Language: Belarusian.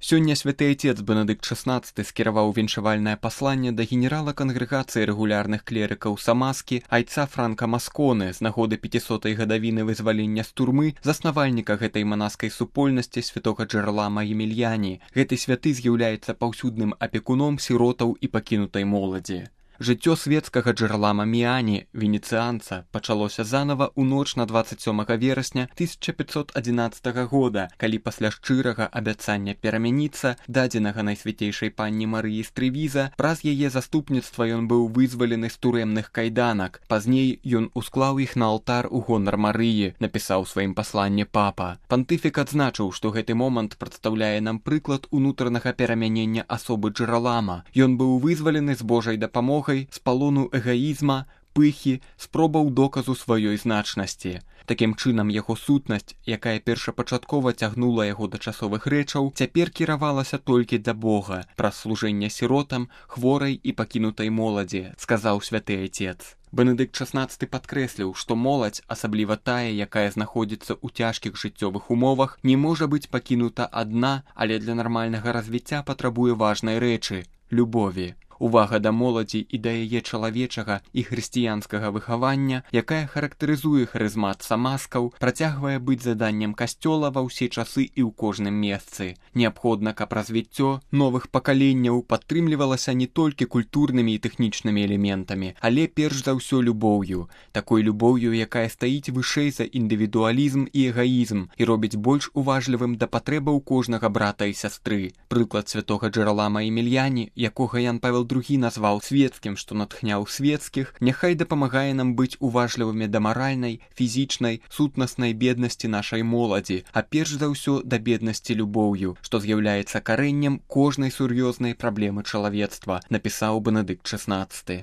Сёння святы айцец Бенедыкт XVI скіраваў віншавальнае пасланне да генерала кангрэгацыі рэгулярных клерыкаў Самаскі айца Франка Масконы з нагоды 500-й гадавіны вызвалення з турмы заснавальніка гэтай манаскай супольнасці святога Джералама Емельяні. Гэты святы з'яўляецца паўсюдным апекуном сіротаў і пакінутай моладзі. Жыццё светскага Джералама Міяні, венецыянца, пачалося занава ў ноч на 27 верасня 1511 года, калі пасля шчырага абяцання перамяніцца, дадзенага найсвяцейшай панні Марыі з Трэвіза, праз яе заступніцтва ён быў вызвалены з турэмных кайданак. Пазней ён усклаў іх на алтар у гонар Марыі, напісаў у сваім пасланні папа. Пантыфік адзначыў, што гэты момант прадстаўляе нам прыклад унутранага перамянення асобы Джералама. Ён быў вызвалены з Божай дапамогай з палону эгаізма, пыхі, спробаў доказу сваёй значнасці. Такім чынам, яго сутнасць, якая першапачаткова цягнула яго да часовых рэчаў, цяпер кіравалася толькі да Бога, праз служэнне сіротам, хворай і пакінутай моладзі, сказаў святы айцец. Бенедыкт XVI падкрэсліў, што моладзь, асабліва тая, якая знаходзіцца ў цяжкіх жыццёвых умовах, не можа быць пакінута адна, але для нармальнага развіцця патрабуе важнай рэчы – любові. Увага да моладзі і да яе чалавечага і хрысціянскага выхавання, якая характарызуе харызмат самаскаў, працягвае быць заданнем касцёла ва ўсе часы і ў кожным месцы. Неабходна, каб развіццё новых пакаленняў падтрымлівалася не толькі культурнымі і тэхнічнымі элементамі, але перш за ўсё любоўю. Такой любоўю, якая стаіць вышэй за індывідуалізм і эгаізм і робіць больш уважлівым да патрэбаў кожнага брата і сястры. Прыклад святога Джералама Емельяні, якога Ян Павел II назваў свецкім, што натхняў свецкіх, няхай дапамагае нам быць уважлівымі да маральнай, фізічнай, сутнаснай беднасці нашай моладзі, а перш за ўсё да беднасці любоўю, што з'яўляецца карэннем кожнай сур'ёзнай праблемы чалавецтва, напісаў Бенедыкт XVI.